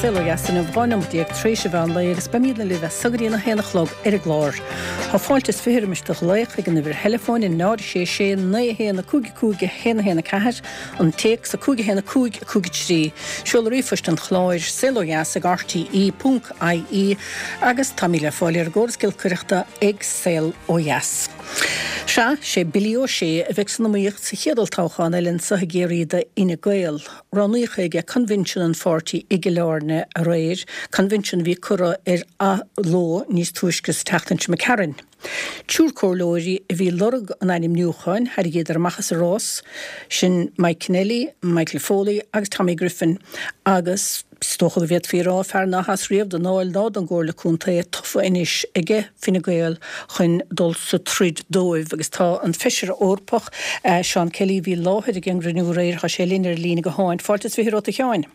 Saol Ó Dheas inniu, 12 neomat tar éis an mheán lae agus beimidne libh as so go dtí an 1 a chlog ar an gclár. Tá fáilte is 20 roimis do ghlaoch ag an uimhir theileafóin 0 6 6 9 1 5 5 1 1 4, an téacs 5 1 5 5 3, seoladh ríomhphoist an chláir, saolodheas ag rte ponc ie agus táimid le fáil ar an gcóras giolcaireachta ag Saol Ó Dheas. Sea, sé Billy Ó Sé a bheidh san iomaíocht sa chéad olltoghchán eile anseo i gCiarraí do Fhine Gael. Roghnaíodh é ag coinbhinsiún an pháirtí i gCill Airne aréir, coinbhinsiún a bhí curtha ar athló níos túisce sa tseachtain seo imigh tharainn. Triúr comhairleoirí a bhí ag lorg an ainmniúcháin, thairrigíodar amach as an rás, sin Mike Kennelly, Michael Foley agus Tommy Griffin agus, Is dócha go bhféadfaí a rá, fear ná has riamh don Dáil ná don gComhairle Contae, tofa anois aige Fine Gael chun dul sa troid dóibh. Agus tá an Feisire Eorpach, Seán Kelly, a bhí i láthair ag an gcruinniú aréir, tá sé linn ar an líne gutháin. Fáilte is 20 romhat a Sheáin.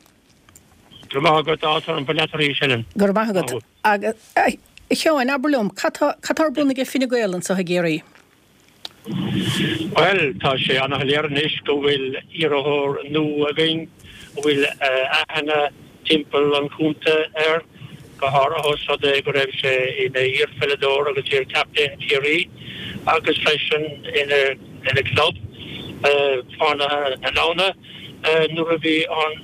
Go raibh maith agat, áthas orm bheith leat arís, Helen. Go raibh maith agat. Agus, a Sheáin, abair liom, cad tá, cad tá ar bun aige Fine Gael anseo i gCiarraí? Bhuel, tá sé ana-shoiléir anois go bhfuil iarrthóir nua againn a bhfuil aithne timpeall an chontae air, go háirithe ós rud é go raibh sé ina iarpheileadóir agus iar-chaptaen Chiarraí agus freisin ina chlub, Fánaithe na Leamhna, nuair a bhí an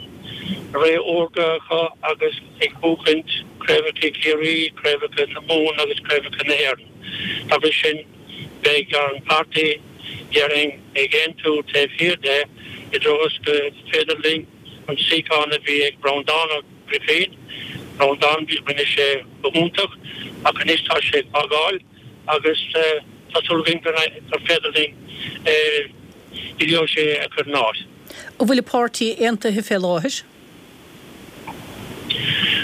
ré órga acu agus ag buachaint craobhacha Chiarraí, craobhacha na Mumhan agus craobhacha na hÉireann. Dá bhrí sin, Beidh an páirtí, déarfainn, ag aontú taobh thiar de i dtreo is go féidir linn an suíochán a bhí ag Breandán Ó Grifín, Breandán, rinne sé go hiontach ach anois tá sé ag fágáil agus tá súil againn gur féidir linn Billy Ó Sé a chur ina áit. An bhfuil an páirtí aontaithe fé láthair?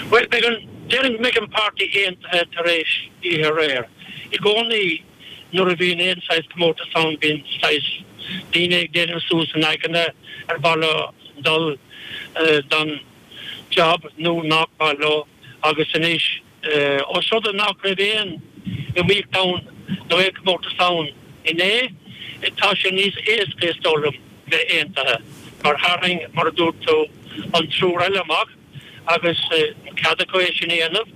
Bhuel, beidh an, déarfainn go mbeidh an páirtí aontaithe tar éis oíche aréir. I gcónaí nuair a bhíonn aon saghas comórtas ann bíonn saghas daoine ag déanamh suas a n-aigne ar mhaith leo dul don job nó nach maith leo agus anois Ós rud é nach raibh aon iomaíocht ann nó aon chomórtas ann inné, tá sé níos éasca, is dóigh liom, bheith aontaithe, mar tharraing, mar a dúirt tú, an triúr eile amach agus cead acu é sin a dhéanamh.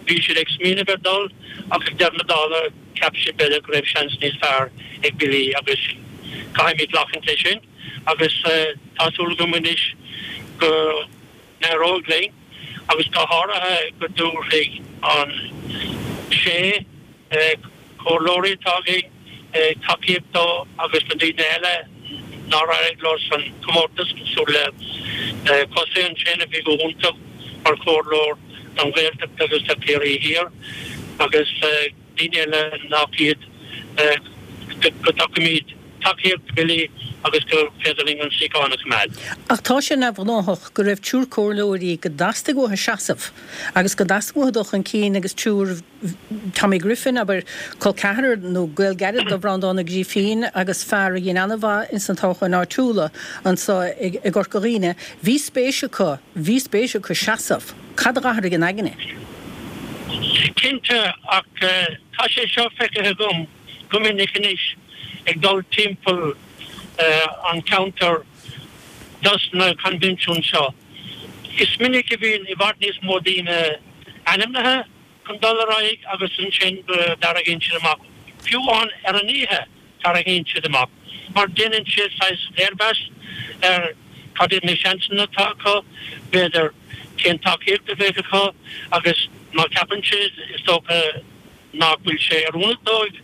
Bhí siad ag smaoineamh ar dul ach ag deireadh na dála cheap siad b'fhéidir go raibh seans níos fearr ag Billy agus caithfimid glacaint leis sin agus tá súil agam anois go n-éireoidh linn agus go háirithe go dtabharfaidh an 6 comhairleoirí atá againn tacaíocht dó agus na daoine eile nár éirigh leo san chomórtas, cosúil le Cosaí ansin a bhí go hiontach mar chomhairleoir don Ghaeltacht agus do Chiarraí Thiar agus. daoine eile nach iad, go dtugaimid tacaíocht do Billy agus gur féidir linn an suíochán a choimeád. Ach tá sé neamhghnáthach go raibh triúr comhairleoirí go dteastaigh uathu seasamh agus go dteastaigh uathu dul chun cinn agus triúr, Tommy Griffin, abair, col ceathrar nó gaol gairid do Bhreandán Ó Grífín agus fear a dhein an-mhaith ins na toghcháin áitiúla anso i gCorca Dhuibhne, bhí spéis acu, bhí spéis acu seasamh. Cad a dh'athraigh a n-aigne? Cinnte, ach tá sé seo feicthe agam go minic anois ag dul timpeall an cheantair dos na coinbhinsiúin seo. Is minic a bhíonn i bhfad níos mó daoine ainmnithe chun dul ar aghaidh agus ansin go dtarraingíonn siad amach, fiú amháin ar an oíche. Tarraingíonn siad amach mar déanann siad saghas léirmheas ar cad iad na seansanna atá acu, b'fhéidir cén tacaíocht a bheidh acu agus má cheapann siad, is dócha, nach bhfuil sé oiriúnach dóibh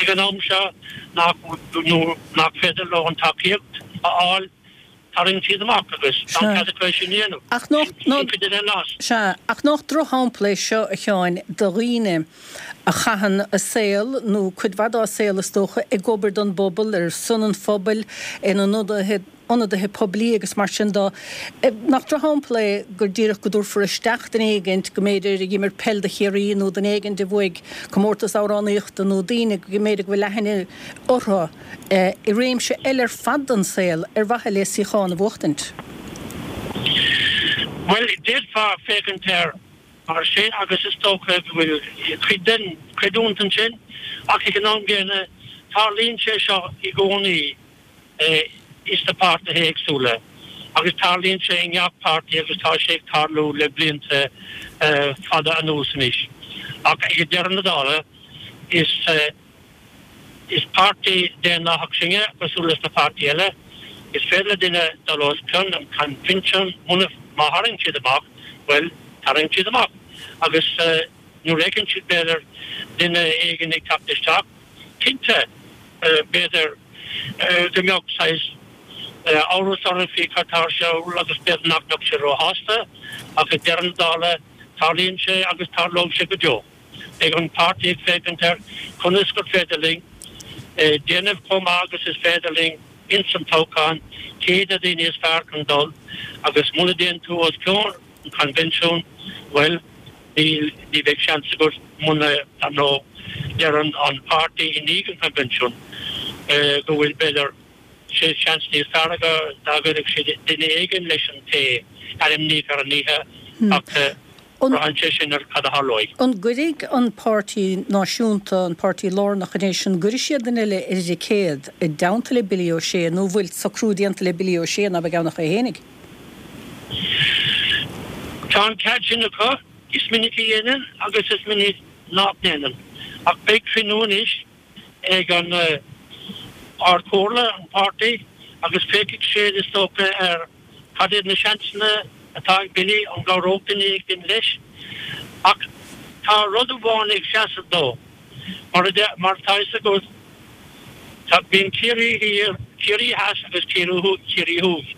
ag an am seo, nach nó nach féidir leo an tacaíocht a fháil. Tarraingíonn siad amach agus tá an cead acu é sin a dhéanamh. Ach nach, Sin cuid den rás. Sea, ach nach drochshampla é seo, a Sheáin, do dhaoine a chaitheann a saol, nó cuid mhaith dá saol is dócha, ag obair don bpobal, ar son an phobail, ina n-ionadaithe, ionadaithe poiblí agus mar sin de. Nach drochshampla é gur díreach go dtabharfar isteach duine éigint go mb'fhéidir a d'imir peil do Chiarraí nó duine éigint a bhuaigh comórtas amhránaíochta nó daoine go mb'fhéidir go bhfuil aithne orthu i réimse eile ar fad den saol ar mhaithe le suíochán a bhuachtaint. Bhuel, d'fhéadfá féachaint air mar sin agus is dócha go bhfuil cuid den chreidiúint ansin ach ag an am gcéanna tarlaíonn sé seo i gcónaí ins na páirtithe éagsúla. Agus tarlaíonn sé i ngach páirtí agus tá sé ag tarlú le blianta fada anuas anois. Ach ag deireadh na dála, is is páirtí daonlathach sinne, cosúil leis na páirtí eile. Is féidir le duine dul os cionn an coinbhinsiún, muna, má tharraing siad amach, bhuel, tarraing siad amach. Agus nuair a fheiceann siad, b'fhéidir, duine éigin ag teacht isteach, cinnte, b'fhéidir go mbeadh saghas amhras orthu faoi cad tá ar siúl agus b'fhéidir nach mbeadh siad róshásta, ach ag deireadh na dála, tarlaíonn sé agus tarlóidh sé go deo. Beidh an páirtí ag féachaint ar conas gur féidir linn déanamh chomh maith agus is féidir linn ins an toghchán, cé hiad na daoine is fearr chun dul agus muna dtéann tú os cionn an choinbhinsiúin, bhuel, níl, ní bheidh seans agat muna, dar ndóigh, deireann an páirtí i ndiaidh an choinbhinsiúin go bhfuil, b'fhéidir, sé seans níos fearr acu dá gcuirfeadh siad duine éigin leis an té a ainmníodh ar an oíche ach braitheann sé sin ar cad a tharlóidh. An gcuirfidh an páirtí náisiúnta, an páirtí lárnach anois, an gcuirfidh siad duine eile ar an dticéad i dteannta le Billy O'Shea nó an bhfuil socrú déanta le Billy O'Shea ná beidh ann ach é fhéinig? Tá an cead sin acu. Is minic a dhéanann agus is minic nach ndéanann. Ach beidh cruinniú anois ag an Ard-Chomhairle, an páirtí, agus féachfaidh siad, is dócha, ar cad iad na seansanna atá ag Billy, an gcabhródh duine éigin leis. Ach tá rud amháin ag seasamh dó, mar mar atá fhios agat, tá, bíonn Ciarraí Thiar, Ciarraí Theas agus Ciarraí Thuaidh,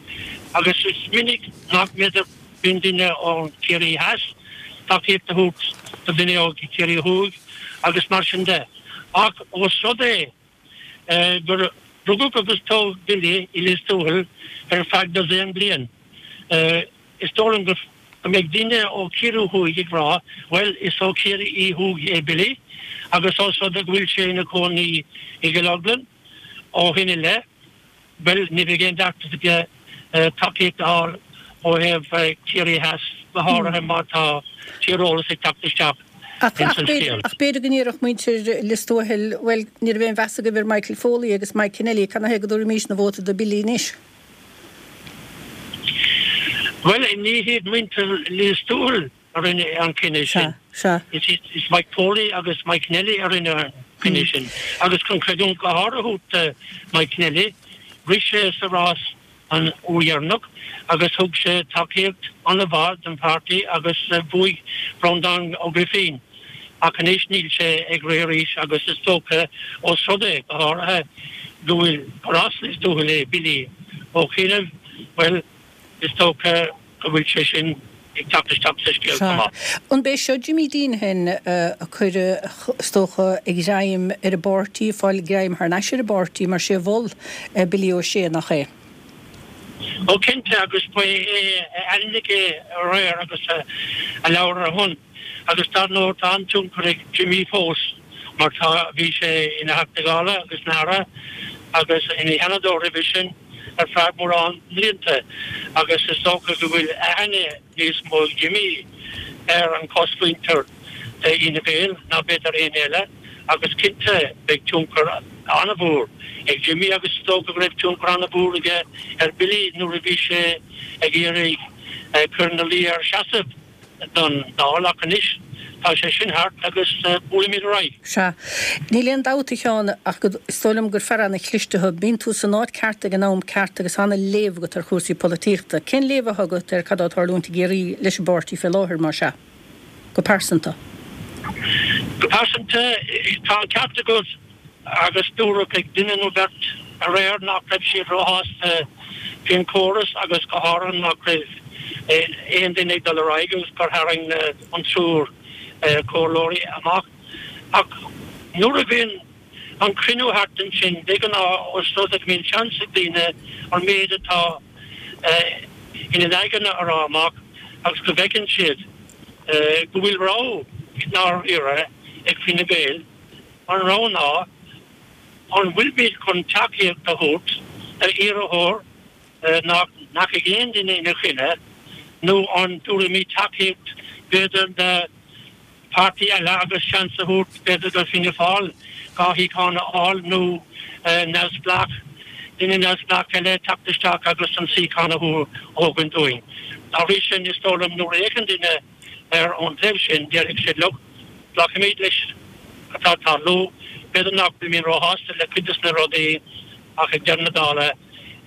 agus is minic nach mb'fhéidir, bíonn duine ó Chiarraí Theas tacaíocht a thabhairt do dhuine ó Chiarraí Thuaidh agus mar sin de. Ach ós rud é gur rugadh agus tógadh Billy i Lios Tuathail ar feadh dosaen bliain, is dóigh liom go mbeidh daoine ó Chiarraí Thuaidh ag rá, bhuel, is ó Chiarraí Thuaidh é Billy agus ós rud é go bhfuil sé ina chónaí i gCill Orglan ó shin i leith, Bhuel, ní bheidh aon deacracht aige tacaíocht a fháil ó thaobh Ciarraí Theas, go háirithe má tá tíreolas ag teacht isteach ins an scéal. Ach b'fhéidir go ndéarfadh muintir Lios Tuathail, bhuel, ní raibh aon mheas agaibh ar Michael Foley agus Mike Kennelly, cad 'na thaobh go dtabharfaimísne vóta do Billy anois? Bhuel, ní hiad muintir Lios Tuathail a rinne an cinneadh sin. Sea. Is Mike Foley agus Mike Kennelly a rinne an cinneadh sin. Agus chun creidiúint go háirithe a thabhairt do Mike Kennelly, rith sé sa rás an uair dheireanach agus thug sé tacaíocht an-mhaith don pháirtí agus bhuaigh Breandán Ó Grifín. Ach anois níl sé ag rith arís agus is dócha, ós rud é, go háirithe, go bhfuil, gur as Lios Tuathail é Billy ó chianaibh, bhuel, is dócha go bhfuil sé sin ag teacht isteach sa scéal chomh maith. Sea. An b'é seo Jimmy Deenihan a cuireadh, is dócha, ag greim ar an bpáirtí, ag fáil greim thar n-ais ar an bpáirtí, mar sé a mhol Billy O'Shea, nach é? Ó cinnte, agus ba é a ainmnigh é aréir agus a labhair ar a shon. Agus dar ndóigh tá an-tionchar ag Jimmy fós mar tá, bhí sé ina Theachta Dála agus ina Aire agus ina Sheanadóir roimhe sin ar feadh mórán mblianta agus is dócha go bhfuil aithne níos mó ag Jimmy ar an chosmhuintir d'Fhine Gael ná b'fhéidir éinne eile agus cinnte beidh tionchar an-mhór ag Jimmy agus is dócha go raibh tionchar an-mhór aige ar Billy nuair a bhí sé ag iarraidh cur ina luí air seasamh don Dáil ach anois tá sé sin thart agus buailimid ar aghaidh. Sea. Níl aon dabht, a Sheáin, ach go, is dóigh liom gur fear ana-chliste thú. Bíonn tú san áit ceart ag an am ceart agus ana-léamh agat ar chúrsaí polaitíochta. Cén léamh atá agat ar cad atá ag tarlúint i gCiarraí leis an bpáirtí fé láthair, más ea? Go pearsanta. Go pearsanta, tá an ceart agat agus dúradh ag duine nó beirt aréir nach raibh siad róshásta faoin chóras agus go háirithe nach raibh aon duine ag dul ar aghaidh agus gur tharraing an triúr comhairleoirí amach. Ach nuair a bhíonn an cruinniú thart ansin, de ghnáth, ós rud é go mbíonn seans ag daoine an méid atá ina n-aigne a rá amach agus go bhfeiceann siad go bhfuil rogha i ndáiríre ag Fine Gael, An rogha ná, an bhfuilimid chun tacaíocht a thabhairt d'iarrthóir nach ndeachaigh aon duine ina choinne, nó an dtabharfaimid tacaíocht b'fhéidir do pháirtí eile agus seans a thabhairt b'fhéidir do Fianna Fáil 2 shuíochán a fháil nó neamhspleách. duine neamhspleách eile teacht isteach agus an suíochán a thógaint uainn. Dá bhrí sin, is dóigh liom nuair a fhéachann duine air ón taobh sin, déarfaidh siad, look, glacfaimid leis atá ag tarlú, b'fhéidir nach bhfuilimid róshásta le cuid de na rudaí ach ag deireadh na dála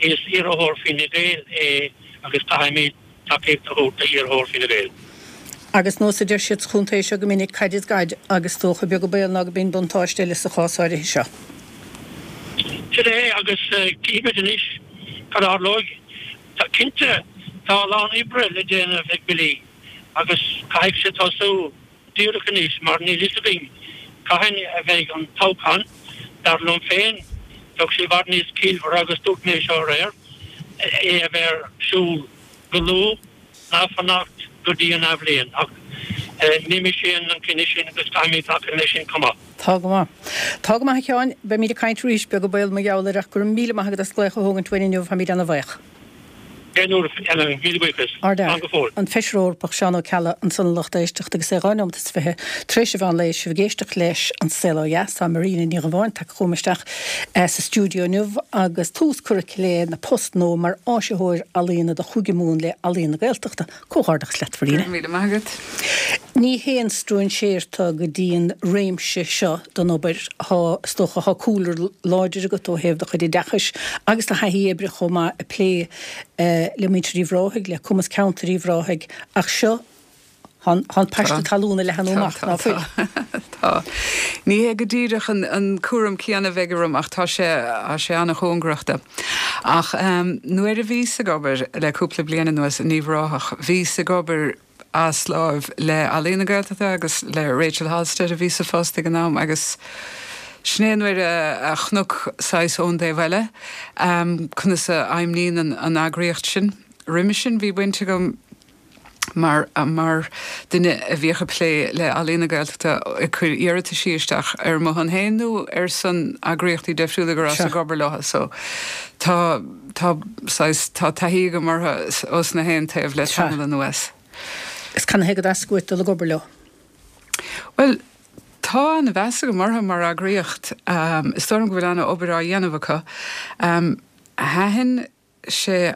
is iarrthóir Fine Gael é agus caithfimid tacaíocht a thabhairt d'iarrthóir Fine Gael. Agus nós a deir siad sa chontae seo go minic, caid is gaid, agus is dócha, beag an baol ná go mbíonn buntáiste eile sa chás áirithe seo. Sin é, agus cífimid anois cad a tharlóidh. Cinnte, tá a lán oibre le déanamh ag Billy agus caithfidh sé tosú díreach anois mar níl fhios againn cathain a bheidh an toghchán. Dar liom féin, bheadh sé i bhfad níos ciallmhaire, agus dúirt mé seo aréir, é a bheith ar siúl go luath ná fanacht go dtí an athbhliain. Ach ní mise a dhéanann an cinneadh sin agus caithfimid glacadh leis sin chomh maith. Tá go maith. Tá go maith a Sheáin. Beimid ag caint arís, beag an baol mar gheall air ach go raibh míle maith agat as glaoch a thógaint uainn inniu, táimid ana-bhaoch. Aon uair eile, míle buíochas. Slán go fóill. An Feisire Eorpach Seán Ó Ceallaigh ansan a lucht éisteachta agus é 2 nóimeat is 20 tar éis an mheán lae, sibh ag éisteacht leis An Saol Ó Dheas. Tá Marina Ní Dhubháin tagtha chugam isteach sa stiúideo inniu agus tús curtha aici lena post nua mar áisitheoir ealaíona do Chúige Mumhan le Ealaíon na Gaeltachta. Comhghairdeachas leat, Mharina. Go raibh míle maith agat. Ní haon stróinséir tú go dtí an réimse seo den obair. Tá, is dócha, tá cúlra láidir agat ó thaobh do chuid oideachais agus do thaithí oibre chomh maith ag plé le muintir Uíbh Ráthaigh, le Cumas Ceantair Uíbh Ráthaigh, ach seo, tá an paiste talún ag leathnú amach, ná fuil? Tá. Ní hé go díreach an cúram céanna a bheidh orm ach tá sé, tá sé an-chóngarach dó. Ach nuair a bhíos ag obair le cúpla bliain anuas in Uíbh Ráthach, bhíos ag obair as láimh le Ealaín na Gaeltachta agus le Rachel Halstead a bhí sa phost ag an am agus sin é nuair a chonac saghas ón dtaobh eile conas a fheidhmníonn an eagraíocht sin. Roimhe sin bhí baint agam mar mar duine a bhíodh ag plé le Ealaín na Gaeltachta ag cur iarrataisí isteach ar mo shon féin nó ar son eagraíochtaí deifriúla go rabhas ag obair leo so tá tá saghas tá taithí agam orthu ós na haon taobh le tamall anuas. Is canathaobh go dteastaigh uait dul ag obair leo? Bhuel tá an-mheas agam orthu mar eagraíocht. Is dóigh liom go bhfuil an-obair á dhéanamh acu. Thaitin sé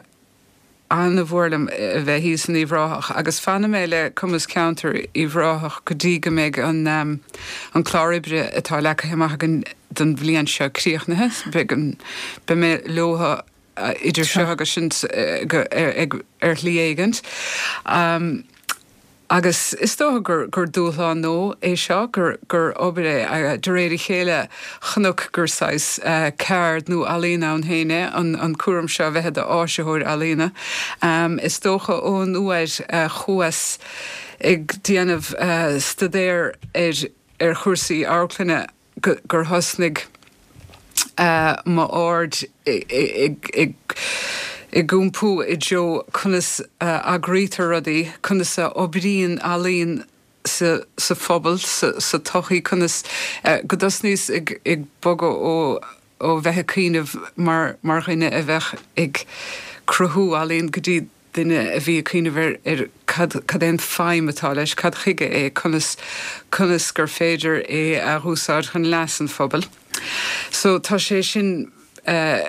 an-mhór liom a bheith thíos in Uíbh Ráthach agus fanfaidh mé le Cumas Ceantair Uíbh Ráthach go dtí go mbeidh an an clár oibre atá leagtha amach againn don bhliain seo críochnaithe. Beidh an beidh mé leo idir seo agus sin ar shlí éigint. Agus is dócha gur, gur dúshlán nua é seo, gur, gur obair é, de réir a chéile chonac gur saghas ceard nó ealaín ann féin é an, an cúram seo a bheith i d'áisitheoir ealaíona. Is dócha ón uair a chuas ag déanamh staidéar ar, ar chúrsaí amharclainne, gur thosnaigh m'aird ag iompú i dtreo conas a eagraítear rudaí, conas a oibríonn ealaín sa phobal, sa tsochaí, conas go dtosnaíos ag bogadh ó bheith ag cuimhneamh mar dhuine a bheadh ag cruthú ealaíon go dtí duine a bhí ag cuimhneamh ar ar cad cad é an feidhm atá leis, cad chuige é, conas conas gur féidir é a dh'úsáid chun leas an phobail. So tá sé sin eh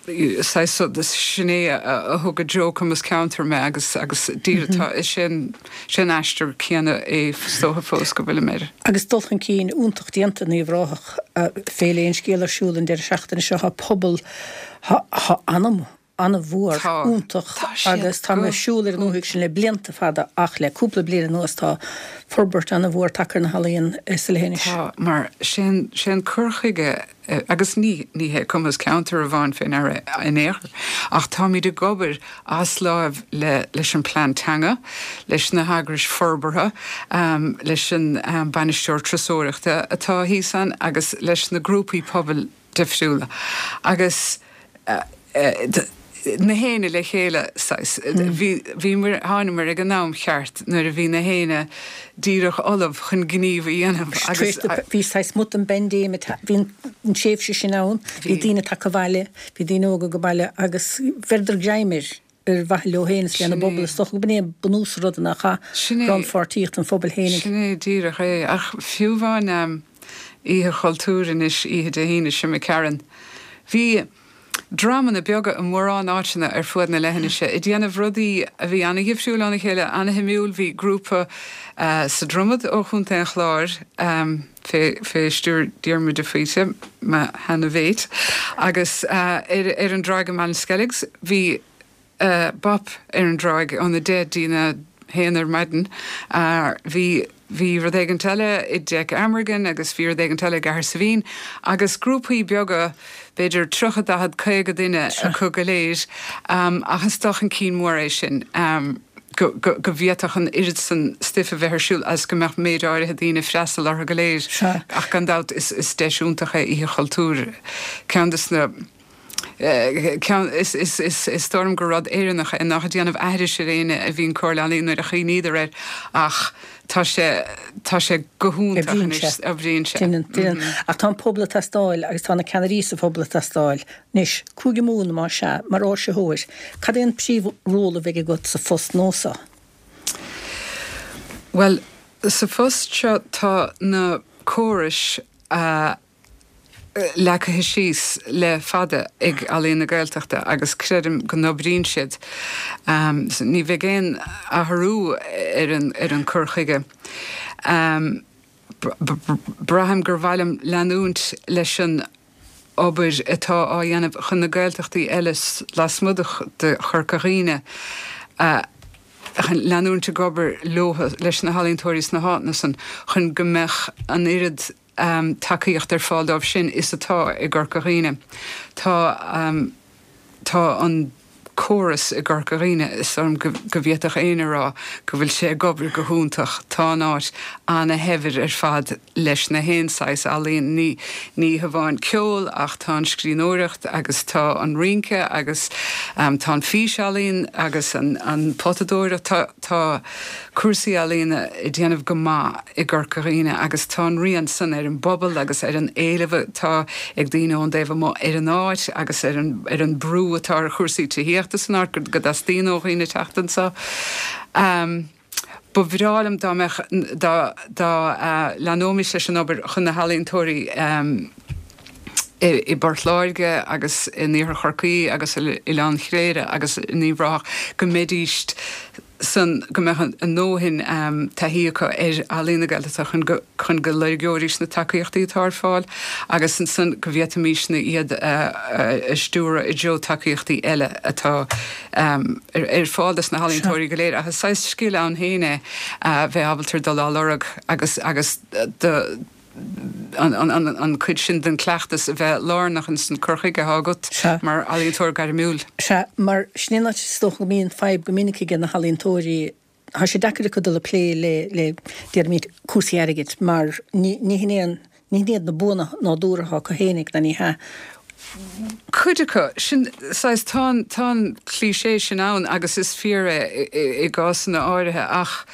saghas so sin é a thug i dtreo Cumas Ceantair mé agus agus díreach tá is é an sé an aistear céanna é is dócha fós go bhfuilim air. Agus dul chun cinn iontach déanta in Uíbh Ráthach, Féile Aon Scéal ar siúl an deireadh seachtaine seo, tá pobal, tá anam an-mhór, iontach agus tá mé ag siúl ar an ndúthaigh sin le blianta fada ach le cúpla bliain anuas tá forbairt an-mhór tagtha ar na healaíona sa leithinis. Tá, mar sé an, sé an cur chuige agus ní, ní hé Cumas Ceantair amháin fé ndeara in aon chor ach táimid ag obair as láimh le, leis an bplean teanga, leis na heagrais forbartha, leis an bainisteoir turasóireachta atá thíos ann agus leis na grúpaí pobail difriúla agus na héinne le chéile saghas. Bhí, bhíomar, thánamar ag an am cheart nuair a bhí na héinne díreach ullamh chun gníomh a dhéanamh agus. Bhí saghas smut den bpaindéim, bhí an tréimhse sin ann, bhí daoine tagtha abhaile, bhí daoine óga ag baile agus bheireadar greim air ar mhaithe leo féin is lena bpobal. Is dócha go b'in é bunús an ruda nár chaith rannpháirtíocht an phobail féinig. Sin é díreach é. Ach fiú amháin Oíche Chultúir anois, oíche Dé hAoine seo imigh tharainn, bhí. dreamanna beaga i mórán áiteanna ar fuaid na leithinise ag déanamh rudaí a bhí ana-dhifriúil óna chéile, ana-shuimiúil. Bhí grúpa sa Dromad ó Chontae an Chláir fé stiúir Diarmuid de Faoite, mo sheana-mhéit, agus ar an dtráigh i Ballinskelligs bhí Bap ar an dtráigh óna deich dtína haon ar maidin. Bhí bhí rud éigint eile i dTeic Amergin agus bhí rud éigint eile i gCahersiveen agus grúpaí beaga, b'fhéidir 30, 40, 50 duine acu go léir ach is dul chun cinn mór é sin go go go bhféadfadh an oiread san stuif a bheith ar siúl agus go mbeadh méid áirithe daoine ag freastal orthu go léir. Ach gan dabht is is deis iontach é Oíche Chultúir, ceann de na. Ceann, is, is, is, is dóigh liom gur rud Éireannach é, nach ag déanamh aithris ar éinne a bhíonn Comhairle Ealaíon nuair a chuimhníodar air ach tá sé, tá sé go hiontach Oibríonn sé. anois, oibríonn sé. Déanann, déanann. Ach tá an pobal ag teastáil agus tá na ceannairí sa phobal ag teastáil. Anois, Cúige Mumhan, más ea, mar áisitheoir, cad é an príomh-ról a bheidh agat sa phost nua seo? Bhuel, sa phost seo tá na córais a leagtha síos le fada ag Ealaíon na Gaeltachta agus creidim go n-oibríonn siad. Ní bheidh aon athrú ar an cur chuige. Braithim gur mhaith liom leanúint leis an obair atá á dhéanamh chun na Gaeltachtaí eile lasmuigh de Chorca Dhuibhne a chun leanúint ag obair leo, leis na healaíontóirí sna háiteanna san chun go mbeadh an oiread tacaíocht ar fáil dóibh sin is atá i gCorca Dhuibhne. Tá tá an córas i gCorca Dhuibhne, is dóigh liom go go bhféadfadh éinne a rá go bhfuil sé ag obair go hiontach. Tá an áit ana-shaibhir ar fad leis na haon saghas ealaíon, ní ní hamháin ceol ach tá an scríbhneoireacht agus tá an rince agus tá an físealaín agus an an potadóireacht. Tá tá cúrsaí ealaíona ag déanamh go maith i gCorca Dhuibhne agus tá an rian san ar an bpobal agus ar an éileamh atá ag daoine ón dtaobh amuigh ar an áit agus ar an ar an brú atá ar chúrsaí tithíochta san áit go dteastaíonn ó dhaoine teacht anseo. Ba bhreá liom dá mbeadh dá dá leanóimis leis an obair chun na healaíontóirí i bPort Láirge agus in Iarthar Chorcaí agus i Oileán Chléire agus in Uíbh Ráthach go mbeidís san, go mbeadh a ndóthain taithí acu ar ealaín na Gaeltachta chun go, chun go loirgeoidís na tacaíochtaí atá ar fáil agus ansan go bhféadfaimisne iad a stiúradh i dtreo tacaíochtaí eile atá ar fáil dos na healaíontóirí go léir. Ach is saghas scil ann féin é a bheith ábalta dul á lorg agus, agus do, an chuid sin den chleachtas a bheith lárnach ins an cur chuige atá agat mar ealaíontóir gairmiúil. Sea, mar sin é an áit is dócha go mbíonn fadhb go minic aige na healaíontóirí, tá sé deacair acu dul ag plé le, le, déarfaimid, cúrsaí airgid mar ní, ní hin é an, ní hin iad na buanna nádúrtha atá acu fhéinig, ná ní hea. Cuid acu, sin, saghas, tá an, tá an cliché sin ann agus is fíor é i gcásanna áirithe ach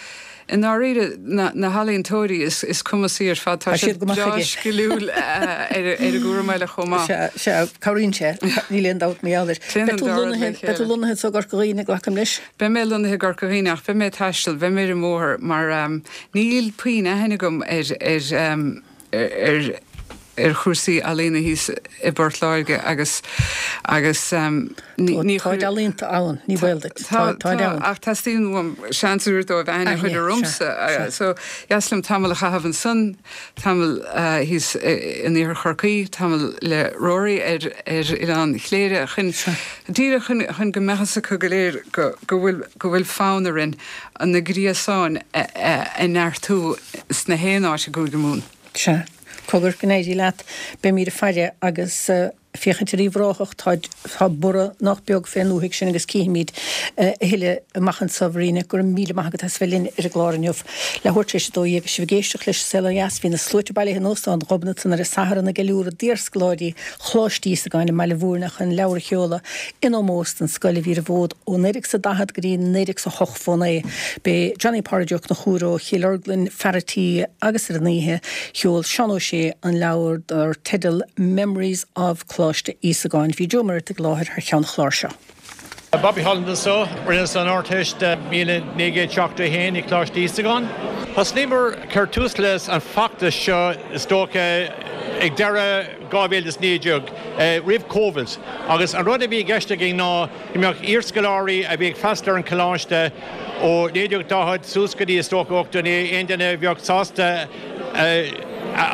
i ndáiríre na, na healaíontóirí is, is cumasaí ar fad, tá siad breá sciliúil ar, ar an gcúram eile chomh maith. Sea, sea, cabhraíonn sé, níl aon dabht mar gheall air. Téann Beidh an tú dá rud le lonnaithe, beidh tú chéile. lonnaithe anso i gCorca Dhuibhne, glacaim leis? Beidh mé lonnaithe i gCorca Dhuibhne ach beidh mé ag taisteal, beidh mé ar an mbóthar mar níl puinn aithne agam ar, ar, ar ar chúrsaí ealaíona thíos i bPort Láirge agus agus ní ní Táid ealaíonta ann, ní baol duit. Tá Táid tá ann. ach teastaíonn uaim seans a thabhairt dóibh aithne a chur ormsa Aithne, sea, sea. so dheas liom tamall a chaitheamh ansan, tamall thíos in Iarthar Chorcaí, tamall le Rory ar ar Oileán Chléire chun Sea. díreach chun chun go mbeadh fhios acu go léir go go bhfuil go bhfuil fonn orainn na gréasáin a neartú sna haon áit i gCúige Mumhan. Sea. Cogar, go n-éirí leat. Beimíd ag faire agus féachaint ar Uíbh Ráthach. Tá, tá borradh nach beag fén ndúthaigh sin agus cífimíd a thuilleadh amach anso, a Mharíne. Go raibh míle maith agat as bheith linn ar an gclár inniu. Leathuair tar éis a 12 agus sibh ag éisteacht leis An Saol Ó Dheas, bhí na sluaite bailithe in Óstán Ghobnatan ar an Satharn ag ceiliúradh d'iarscoláirí Choláiste Íosagáin i mBaile Bhúirne chun leabhar a sheoladh in ómós don scoil a bhí ar an bhfód ó 1940 go dtí 1908 fón é. B'é Johnny Pádraig Ó Conchúir ó Chill Orglan fear a' tí agus ar an oíche sheol Seán Ó Sé an leabhar dar teideal Memories of Coláiste Íosagáin. Bhí Joe Muireadhtaigh i láthair thar cheann an chláir seo. Bobby Holland anseo, rinneas an Ardteist 1971 i Coláiste Íosagáin. Thosnaíomar cur tús leis an feachtas seo is dócha ag deireadh 2019, roimh Covid, agus an rud a bhí i gceist againn ná go mbeadh iarscoláirí a bhí ag freastal ar an choláiste ó 1940 suas go dtí is dócha 89, aon duine a bheadh sásta a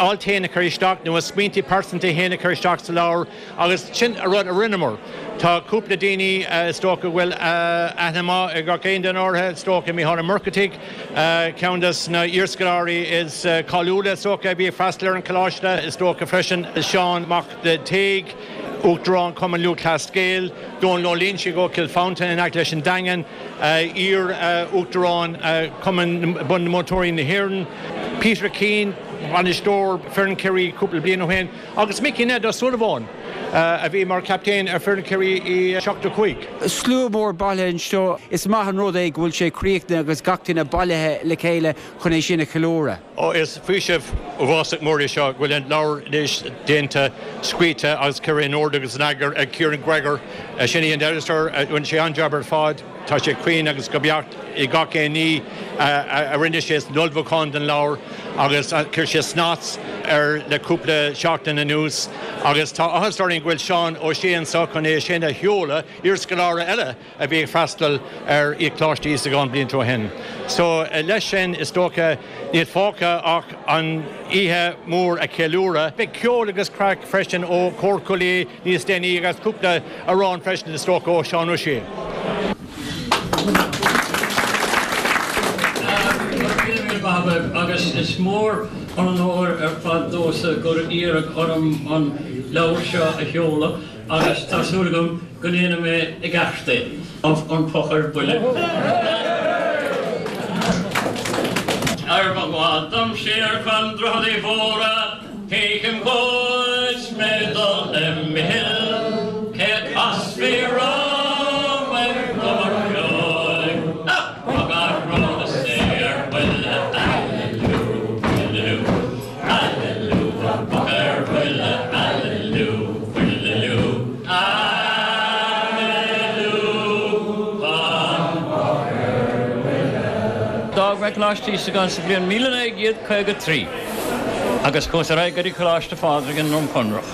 alt féin a chur isteach nó a smaointe pearsanta féin a chur isteach sa leabhar. Agus sin an rud a rinneamar. Tá cúpla daoine is dócha go bhfuil aithne maith ag gach aon duine orthu, is dócha, Mícheál Ó Muircheartaigh, ceann des na iarscoláirí is cáiliúla is dócha a bhí ag freastal ar an choláiste, is dócha freisin Seán Mac Taoig, Uachtarán Chumann Lúthchleas Gael, Dónal Ó Loingsigh ó Chill Mhantáin in aice leis an Daingean, iar-Uachtarán Chumann Bunmhúinteoirí na hÉireann, Peter Keane, bainisteoir foireann Chiarraí cúpla bliain ó shin. Agus Mickey Ned Ó Súilleabháin, a bhí mar chaptaen ar foireann Chiarraí i 75. Slua mór bailithe anseo. Is maith an rud é go bhfuil sé críochnaithe agus gach duine bailithe le chéile chun é sin a cheiliúradh. Ó is faoiseamh uafásach mór é seo go bhfuil an leabhar anois déanta, scríte agus curtha in ord agus in eagar ag Ciarán Gregor. Sin é an editor. Rinne sé an-jab ar fad. Tá sé cruinn agus go beacht i gach aon ní a rinne sé san ullmhúchán don leabhar agus chuir sé snas air le cúpla seachtain anuas agus tá áthas orainn go bhfuil Seán Ó Sé anseo chun é sin a sheoladh, iarscoláire eile a bhí ag freastal ar Choláiste Íosagáin blianta ó shin. So leis sin is dócha níl fágtha ach an oíche mhór a cheiliúradh. Beidh ceol agus craic freisin ó Chór Chúil Aodha níos déanaí agus cúpla amhrán freisin is dócha ó Seán Ó Sé. Agus is mór an onóir ar fad domhsa gur iarradh orm an leabhar seo a sheoladh agus tá súil agam go ndéanfaidh mé i gceart é. An Poc ar Buile. Ar mo ghabháil dom siar chun Droichead Uí Mhórdha Feicim dhuit mé dul le Micheal cé a casfaí romham ag gobadh ceoil ach poc ar is é ar buile aililiú buililiú aililiú an poc ar buile aililiú buililiú aililiú an poc ar buile. D'fhág mé Coláiste Íosagáin sa bhliain 1953. Agus chuas ar aghaidh go dtí Coláiste Phádraig i nDroim Conrach.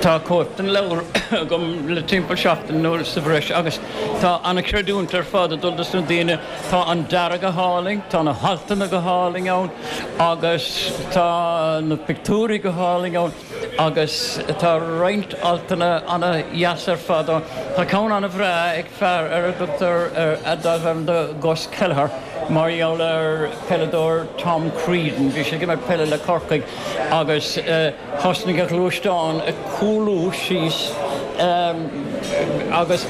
Tá cóip den leabhar agam le timpeall seachtain nó sa bhreis agus tá an-chreidiúint ar fad ag dul dos na daoine. Tá an dearadh go hálainn, tá na haltanna go hálainn ann agus tá na pictiúirí go hálainn ann agus tá roinnt altanna ana-dheas ar fad ann. Tá ceann ana-bhreá ag fear ar a dtugtar darbh ainm do Gus Kelleher. Mar gheall ar peileadóir Tom Creedon, bhí sé ag imirt peile le Corcaigh agus thosnaigh a ghluaisteán ag cúlú síos agus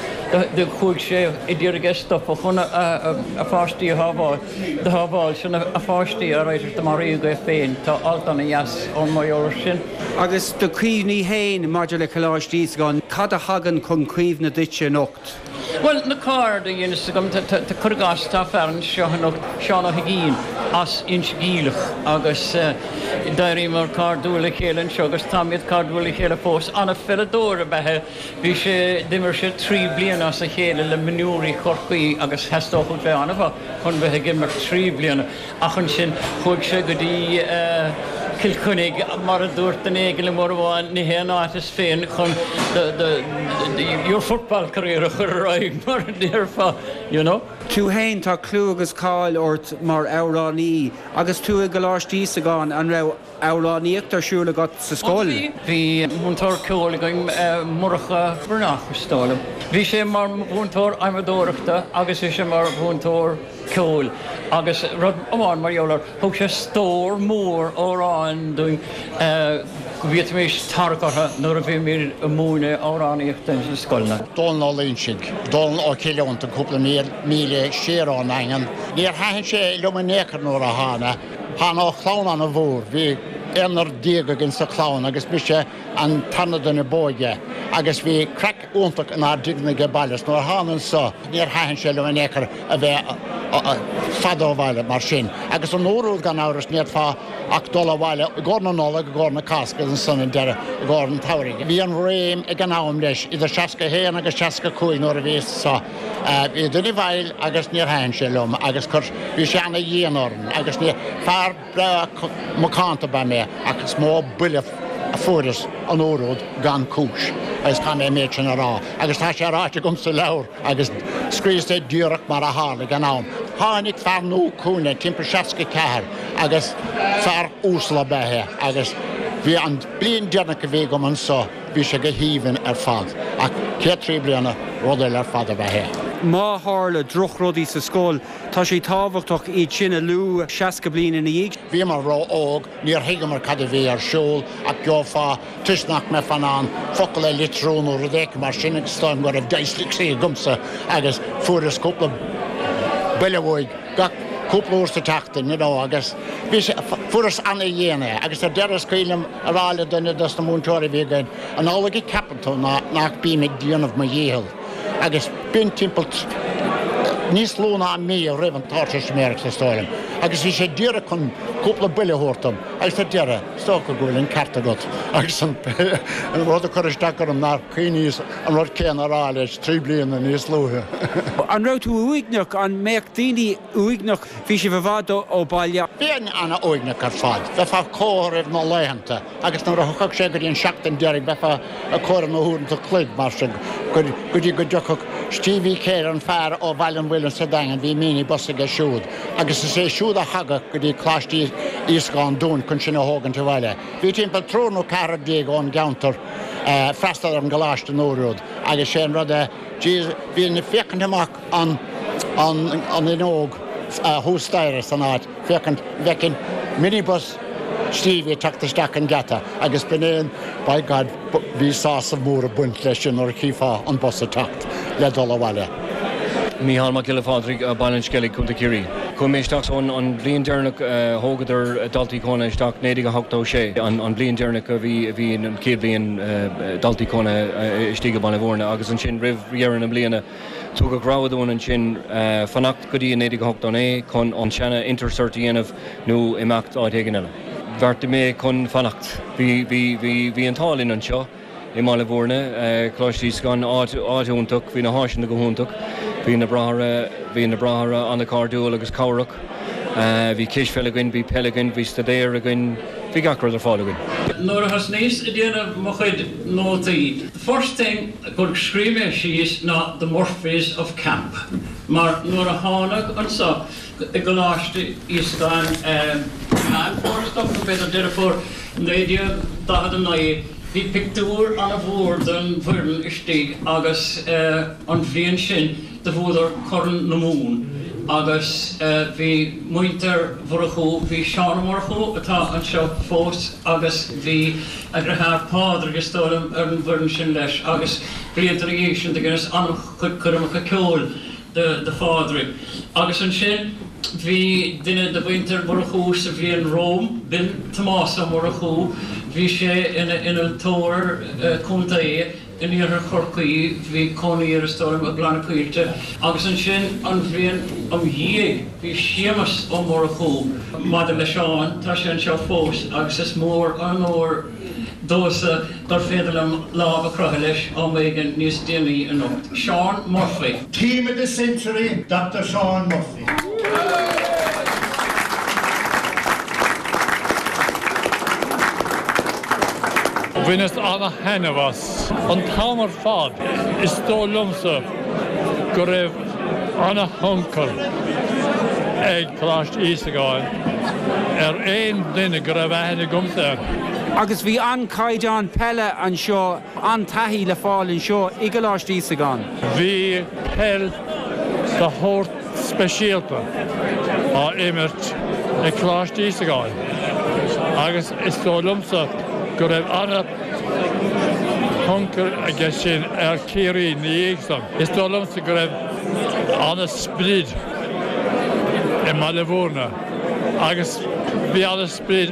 do chuaigh sé a d'iarraidh é a stopadh chun a pháistí a shábháil. Do shábháil sin a pháistí alright do maraíodh é féin. Tá alt ana dheas ann mar gheall ar sin. Agus do chuimhní féin maidir le Coláiste Íosagáin, cad a thagann chun cuimhne duitse anocht? Bhuel, na cairde a dheineas agam, cuir i gcás, tá fear anseo anocht, Seán Ó hUiginn, as Inse Geimhleach agus d'éiríomar cairdiúil le chéile anseo agus táimid cairdiúil le chéile fós. Ana-pheileadóir ab ea é. Bhí sé, d'imir sé 3 bliana as a chéile le mionúirí Chorcaí agus theastódh uait bheith an-mhaith chun bheith ag imirt 3 bliana. Ach ansin chuaigh sé go dtí Cill Chainnigh, mar a dúirt duine éigin liom uair amháin, ní hé an áit is fearr chun your football career a chur ar aghaidh, mar a déarfá, you know. Tú fhéin, tá clú agus cáil ort mar amhránaí. Agus tú i gColáiste Íosagáin, an raibh amhránaíocht ar siúl agat sa scoil? Bhí múinteoir ceoil againn, Murchadh Breathnach, is dóigh liom. Bhí sé mar mhúinteoir adhmadóireachta agus bhí sé mar mhúinteoir. ceoil agus rud amháin mar gheall air, thug sé stór mór amhrán dúinn go bhféadfaimis tarrac orthu nuair a bhímid ag múineadh amhránaíochta ins na scoileanna. Dónal Ó Loingsigh, Dónal ó Chill Fhionntain, cúpla míle siar ón nDaingean. Níor thaitin sé liom in aon chor nuair a thána. Thána ó chlann ana-mhór. Bhí aonar déag againn sa chlann agus mise an tarna duine b'óige agus bhí craic iontach inár dtigh age baile is nuair a thána anso níor thaitin sé liom in aon chor a bheith fada ó bhaile mar sin. Agus an uair úd gan amhras ní fhéadfá. ach dul abhaile i gcomhair na Nollag, i gcomhair na Cásca agus ansan an deireadh i gcomhair an tsamhraidh. Bhí an réim ag an am leis, idir 61 agus 65 nuair a bhíos anso. Bhí duine i bhfeighil agus níor thaitin sé liom agus chuir, bhí sé ana-dhian orainn agus ní, fear breá macánta ab ea mé ach is mó buille a fuaireas an uair úd gan cúis agus caithfidh mé an méid sin a rá agus tá sé ráite agam sa leabhar agus scríos é díreach mar a tharla ag an am. Tháinig fear nua chugainne timpeall 64 agus fear uasal ab ea é agus bhí an bliain deireanach a bhí agam anso bhí sé go haoibhinn ar fad ach chéad trí bliana rud eile ar fad ab ea é. Má tharla drochrudaí sa scoil, tá sé tábhachtach iad sin a lua 60 bliain ina dhiaidh. Bhíomar ró-óg, níor thuigeamar cad a bhí ar siúl ach gheofá toisc nach mbeifeá in ann focal a litriú nó rud éicint mar sin agus is dóigh liom go raibh dyslexia agamsa agus fuaireas cúpla buille uaidh gach cúpla uair sa tseachtain you know agus bhí sé, fuaireas ana-dhian é agus ar deireadh is cuimhin liom a rá le duine dos na múinteoirí a bhí againn, an amhlaidh a ceapann tú ná nach bím ag déanamh mo dhícheall agus b'in timpeall níos lú ná mí roimh an Ardteistiméireacht is dóigh liom agus bhí sé díreach chun cúpla buille a thabhairt dom agus ar deireadh Is dócha go bhfuil an ceart agat agus an rud a chuir isteach orm nár chuimhníos an rud céanna a rá leis 3 bliana níos luaithe. An raibh tú uaigneach? An mbeadh daoine uaigneach? Bhí sibh i bhfad ó bhaile. Bheinn ana-uaigneach ar fad. Bheifeá ag comhaireamh na laethanta agus nuair a thiocfadh sé go dtí an seachtain deiridh bheifeá ag comhaireamh na huaireanta cloig mar sin go dtí go dtiocfadh Stevie Kerr, an fear ó Bhaile an Mhuilinn sa Daingean, bhí mini-bus aige siúd. Agus is é siúd a thagadh go dtí Coláiste Íosagáin dúinn chun sinn a thógaint abhaile. Bhí timpeall triúr nó ceathrar déag ón gceantar ag freastal ar an gcoláiste an uair úd agus sé an rud é, jeez, bhínn ag féachaint amach an an fhuinneog thuas staighre san áit, féachaint an bhfeicfinn minibus Stevie ag teacht isteach an geata agus b'in é an, by God, bhí sásamh mór ag baint leis sin nuair a chífeá an bus ag teacht le dul abhaile. Mícheál Mac Giolla Phádraig, Baile an Sceilg, Co. Ciarraí. Chuaigh mé isteach so an bhliain deireanach a thógadar daltaí cónaithe isteach, 1986, an bhliain deireanach a bhí a bhí an chéad bhliain daltaí cónaithe istigh i Baile Bhúirne agus ansin roimh dheireadh na bliana tugadh rogha dúinn ansin fanacht go dtí 1989 chun an seana Intercert a dhéanamh nó imeacht áit éigin eile. Bheartaigh mé chun fanacht. Bhí bhí bhí bhí an t-ádh linn anseo. i mBaile Bhúirne, Coláiste Íosagáin, áit, áit iontach, bhí na háiseanna go hiontach, bhí na bráithre, bhí na bráithre an-chairdiúil agus cabhrach, bhí cispheil againn, bhí peil againn, bhí staidéar againn, bhí gach rud ar fáil againn. Nuair a thosnaíos ag déanamh mo chuid nótaí, the first thing gur scríobh mé síos ná The Murphys of Camp, mar nuair a thánag anso i gColáiste Íosagáin, Meán Fómhair is dócha, nó b'fhéidir Deireadh Fómhair, 1949, Bhí pictiúr ana-mhór den bhfoireann istigh agus an bhliain sin do bhuadar Corn na Mumhan agus bhí muintir Mhurchú, bhí Seán Ó Murchú atá anseo fós agus bhí a dhriotháir Pádraig is dóigh liom ar an bhfoireann sin leis agus blianta ina dhiaidh sin do dheineas an-chuid coirmeacha ceoil do Phádraig. Agus ansin bhí duine de mhuintir Mhurchú sa bhliain romham, b'in Tomás Ó Murchú, bhí sé ina innealtóir contae in iarthar Chorcaí, bhí cónaí air is dóigh liom i gCloich na Coillte. Agus ansin an bhliain im dhiaidh bhí Séamus Ó Murchú. Maidir le Seán, tá sé anseo fós agus is mór an onóir domhsa gur féidir liom lámh a chroitheadh leis am éigin níos déanaí anocht. Seán Murphy. Team of the Century, Doctor Seán Murphy. Bhaineas ana-thaitneamh as an t-am ar fad. Is dóigh liomsa go raibh ana-thionchar ag Coláiste Íosagáin ar aon duine go raibh aithne agamsa air. Agus bhí an-chaighdeán peile anseo, an-taithí le fáil anseo i gColáiste Íosagáin. Bhí peil de shórt speisialta á imirt ag Coláiste Íosagáin agus is dóigh liomsa go raibh ana-thionchar aige sin ar Chiarraí ina dhiaidh san. Is dóigh liomsa go raibh ana-sprid i mBaile Bhúirne agus bhí ana-sprid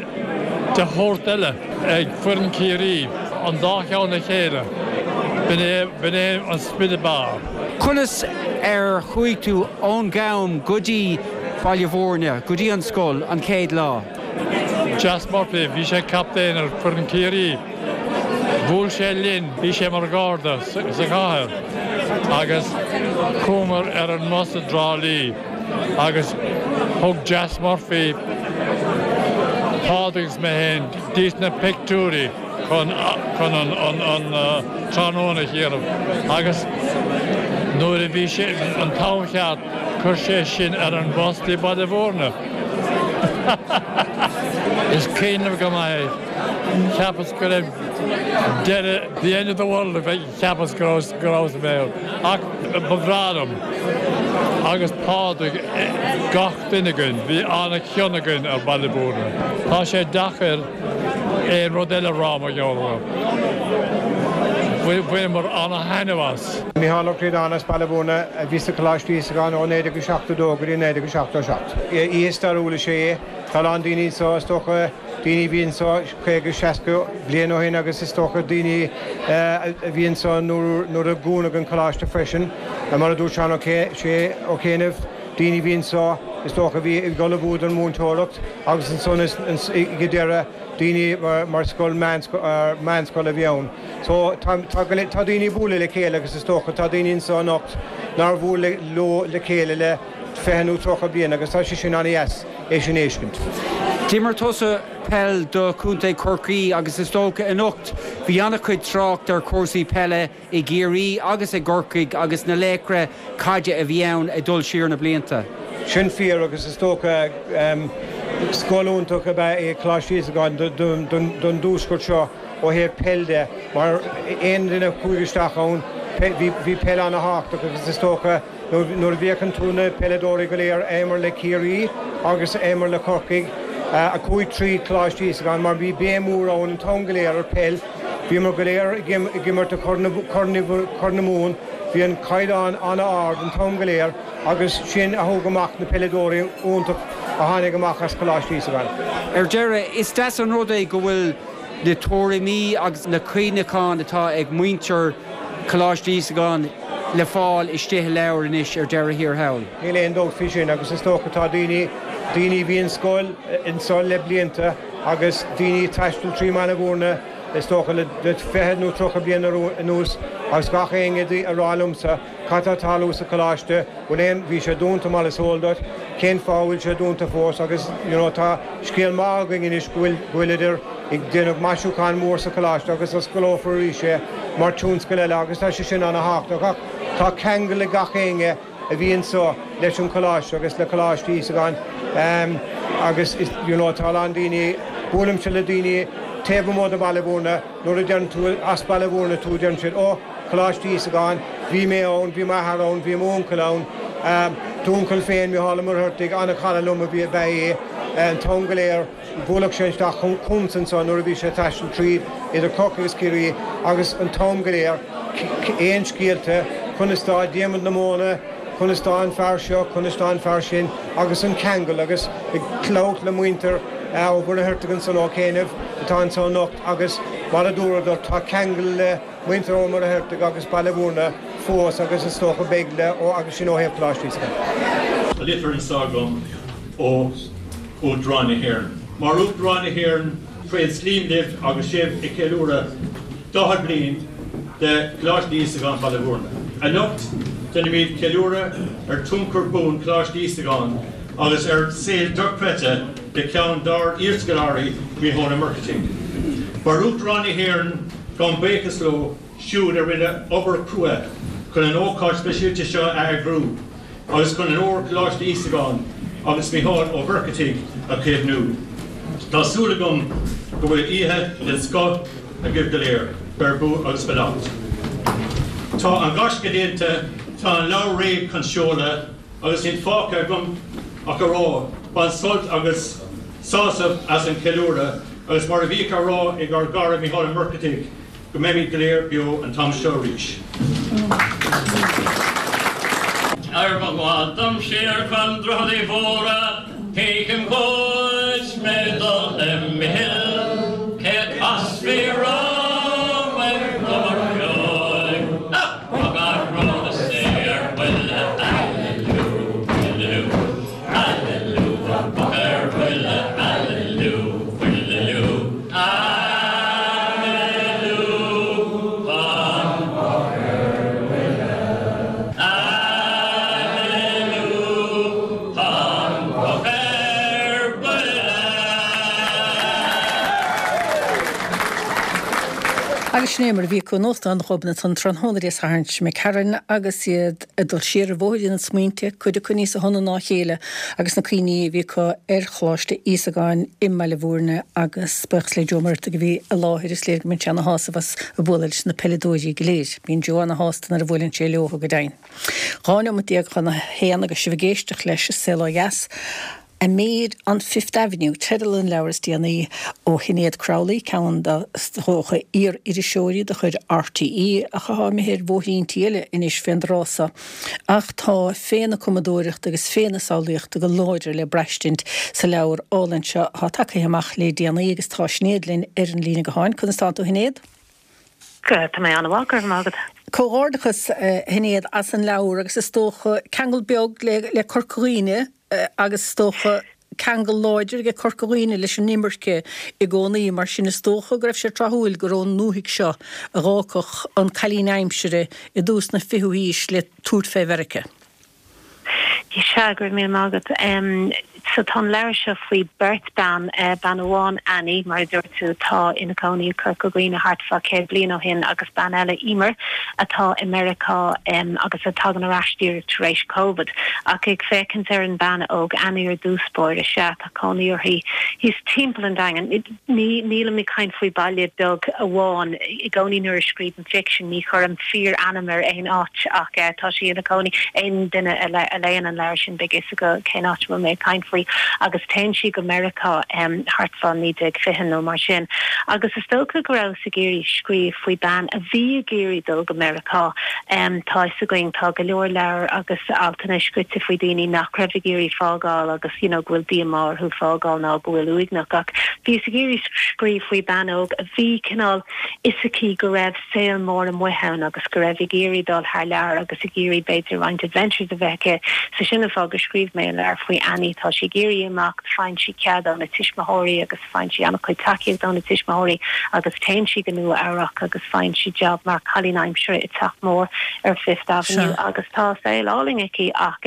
de shórt eile ag foireann Chiarraí, an dá cheann le chéile, b'in é, b'in é an sprid ab fhearr. Conas ar chuaigh tú ón gCam go dtí Baile Bhúirne, go dtí an scoil, an chéad lá? Jas Murphy, bhí sé captaen ar foireann Ciarraí. Bhuail sé linn, bhí sé mar gharda sa chathair agus chuamar ar an mbus i dTrá Lí agus thug Jas Murphy Pádraig agus mé féin dtís na pictiúirí chun chun an an tráthnóna a dhéanamh agus nuair a bhí sé an t-am cheart chuir sé sinn ar an bhus dtí Baile Bhúirne. Is cuimhin liom go maith é. Cheapas go raibh deireadh, the end of the world, cheapas go raibh go rabhas i mbéal. Ach ba bhreá liom. Agus Pádraig, gach duine againn, bhí an-chion againn ar Bhaile Bhúirne. Tá sé deacair aon rud eile a rá mar gheall air. Bhaineamar an-thaitneamh as. Micheál Ó Críodáin as Baile Bhúirne a bhí sa Choláiste Íosagáin ó 1972 go dtí 1977. Oíche stairiúil is ea é. Tá a lán daoine anseo, is dócha, daoine a bhí anseo 50, 60 bliain ó shin agus is dócha daoine a bhí anseo nuair a dúnadh an coláiste freisin. Mar a dúirt Seán Ó Céinnimh, daoine a bhí anseo is dócha a bhí ag ullmhú don mhúinteoireacht agus ansan ag an deireadh daoine mar scoil meánscoil a bhí ann. So tá tá daoine ag bualadh le chéile agus is dócha tá daoine anseo anocht nár bhuail leo le chéile le 20 nó 30 bliain agus tá sé sin an-dheas é sin a fheiscint. D'imir tusa peil do Chontae Chorcaí agus is dócha anocht bhí an-chuid trácht ar chúrsaí peile i gCiarraí agus i gCorcaigh agus na laochra caide a bhí ann ag dul siar na blianta. Sin fíor agus is dócha scoil iontach ab ea é Coláiste Íosagáin don dtuaisceart seo ó thaobh peil de mar aon duine a chuaigh isteach ann bhí peil an-thábhachtach agus is dócha Nuair a bhféachann tú na peileadóirí go léir a imir le Ciarraí agus a imir le Corcaigh, a chuaigh tríd Coláiste Íosagáin, mar bhí béim mhór ann an t-am go léir ar peil, bhíomar go léir ag imirt i Corn na Mumhan, bhí an caighdeán an-ard an t-am go léir agus sin a thug amach na peileadóirí iontach a tháinig amach as Coláiste Íosagáin. Ar deireadh, is deas an rud é go bhfuil na tuairimí agus na cuimhneacháin atá ag muintir Coláiste Íosagáin le fáil istigh i leabhar anois ar deireadh thiar thall. Níl aon dabht faoi sin agus is dócha tá daoine, daoine a bhí in scoil anseo le blianta agus daoine ag taisteal trí mBaile Bhúirne is dócha le 20 nó 30 bliain anuas agus gach éinne ag rá liomsa cad tá ag tarlú sa choláiste, bhfuil aon, bhí sé dúnta mar is eol duit, cén fáth a bhfuil sé dúnta fós agus you know tá scéal maith againn anois go bhfuil, go bhfuileadar ag déanamh maisiúchán mór sa choláiste agus osclófar arís é mar tionscal eile agus tá sé sin ana-thábhachtach ach tá ceangal ag gach éinne a bhí anseo leis an choláiste agus le Coláiste Íosagáin agus you know tá a lán daoine, buailimse le daoine taobh amuigh de Bhaile Bhúirne nuair a deireann tú as Baile Bhúirne tú deireann siad oh Coláiste Íosagáin, bhí mé ann, bhí m'athair ann, bhí m'uncail ann, d'uncail féin, Micheál Ó Muircheartaigh, an-chara liom ab ea é an t-am go léir, bhuailfeadh sé isteach chugamsa anso nuair a bhí sé ag taisteal tríd idir Corcaigh agus Ciarraí agus an t-am go léir, aon scéalta, conas tá Diarmuid na Móna, conas tá an fear seo, conas tá an fear sin agus an ceangal agus ag labhairt le muintir Ó Muircheartaigh ansan Ó Céinnimh atá anso anocht agus mar a dúradar tá ceangal le muintir Ó Muircheartaigh agus Baile Bhúirne fós agus is dócha beidh le ó agus sin ó thaobh Coláiste Íosagáin. Tá litir anseo agam ó Uachtarán na hÉireann. Mar Uachtarán na hÉireann, tréaslaím libh agus sibh ag ceiliúradh 40 bliain de Choláiste Íosagáin Baile Bhúirne. Anocht, déanaimid ceiliúradh ar tionchar buan Choláiste Íosagáin agus ar saol dochreidte de cheann dár iarscoláirí, Mícheál Ó Muircheartaigh. Mar Uachtarán na hÉireann, Gabhaim buíochas leo siúd a rinne obair chrua chun an ócáid speisialta seo a eagrú agus chun onóir Choláiste Íosagáin agus Mícheál Ó Muircheartaigh a chaomhnú. Tá súil agam go bhfuil oíche den scoth agaibh go léir. Beir bua agus beannacht. Tá an gaisce déanta, tá an leabhar réidh chun seoladh agus níl fágtha agam ach a rá, bain sult agus sásamh as an cheiliúradh Agus mar a bhíodh á rá ag ár gcara Mícheál Ó Muircheartaigh, go mbeimid go léir beo an t-am seo arís. Ar mo ghabháil dom siar chun Droichead Uí Mhórdha, Feicim dhuit mé dul le Micheal, cé a chasfaí romham ar ghobar feoil, ach gach rud is é ar buile, Aililiú, aililiú. Aililiú, boc ar buile, aililiú, buile. Agus sin é mar a bhí acu in Óstán Ghobnatan an tráthnóna Dé Sathairn seo imigh tharainn agus iad ag dul siar ar bhóithrín na smaointe, cuid acu níosa shona ná a chéile, agus na cuimhní a bhí acu ar Choláiste Íosagáin i mBaile Bhúirne agus buíochas le Joe Ó Muircheartaigh a bhí i láthair, is léir go mbíonn sé ana shásamh as ag bualadh leis na peileadóirí go léir. Bíonn Joe ana shásta nuair a bhuaileann sé leo, go deimhin. 12 neomat chun a haon agus sibh ag éisteacht leis An Saol Ó Dheas. A Maid on Fifth Avenue teideal an leabhair is déanaí ó Shinéad Crowley, ceann de is dócha iar-iriseoirí de chuid RTÉ ach atá imithe ar bhóithríntí eile anois fén dtráth so. Ach tá féith na cumadóireachta agus féith na samhlaíochta go láidir le braistint sa leabhar álainn seo atá tagtha amach le déanaí agus tá Sinéad linn ar an líne gutháin. Conas tánn tú a Shinéad? Tá mé an-mhaith, go raibh maith agat. Comhghairdeachas, a Shinéad, as an leabhar agus is dócha ceangal beag le Corca Dhuibhne agus is dócha ceangal láidir ag Corca Dhuibhne leis an imirce i gcónaí, mar sin is dócha go raibh sé tráthúil gur ón ndúthaigh seo a dh'fhágfadh an cailín aimsire i dtús na fichiú haois le tabhairt fé Mheiriceá. Sea, go raibh míle maith agat. So tá an leabhar seo faoi beirt bean, bean amháin Annie, mar a dúirt tú, atá ina cónaí i Corca Dhuibhne thart fá 100 bliain ó shin agus bean eile, Emer, atá i Meiriceá agus a tagann ar ais díreach tar éis Covid. Ach ag féachaint ar an bean óg Annie ar dtús báire, sea, tá cónaí uirthi thíos timpeall an Daingin. Ní, nílim ag caint faoi baile beag amháin. I gcónaí nuair a scríobhaim ficsean ní chuirim fíor-ainm ar aon áit ach tá sí ina cónaí, aon duine a léann an leabhar sin beidh fhios acu cén áit a bhfuil mé ag caint faoi. Agus téann sí go Meiriceá thart fá 1920 nó mar sin. Agus is dócha go rabhas ag iarraidh scríobh faoi bean a bhí ag iarraidh dul go Meiriceá. Tá fhios againn, tá go leor leabhar agus altanna scrite faoi daoine nach raibh ag iarraidh fágáil agus you know go bhfuil díomá orthu fágáil ná go bhfuil uaigneach ach bhíos ag iarraidh scríobh faoi bean óg a bhí cineál fhios aici go raibh saol mór amuigh ann agus go raibh ag iarraidh dul thar lear agus ag iarraidh b'fhéidir roinnt adventures a bheith aici so sin an fáth gur scríobh mé an leabhar faoi Annie tá sí ag iarraidh imeacht faigheann sí cead óna tuismitheoirí agus faigheann sí an-chuid tacaíocht óna tuismitheoirí agus téann sí go Nua Eabhrac agus faigheann sí job mar cailín aimsire i teach mór ar Fifth Avenue agus tá saol álainn aici ach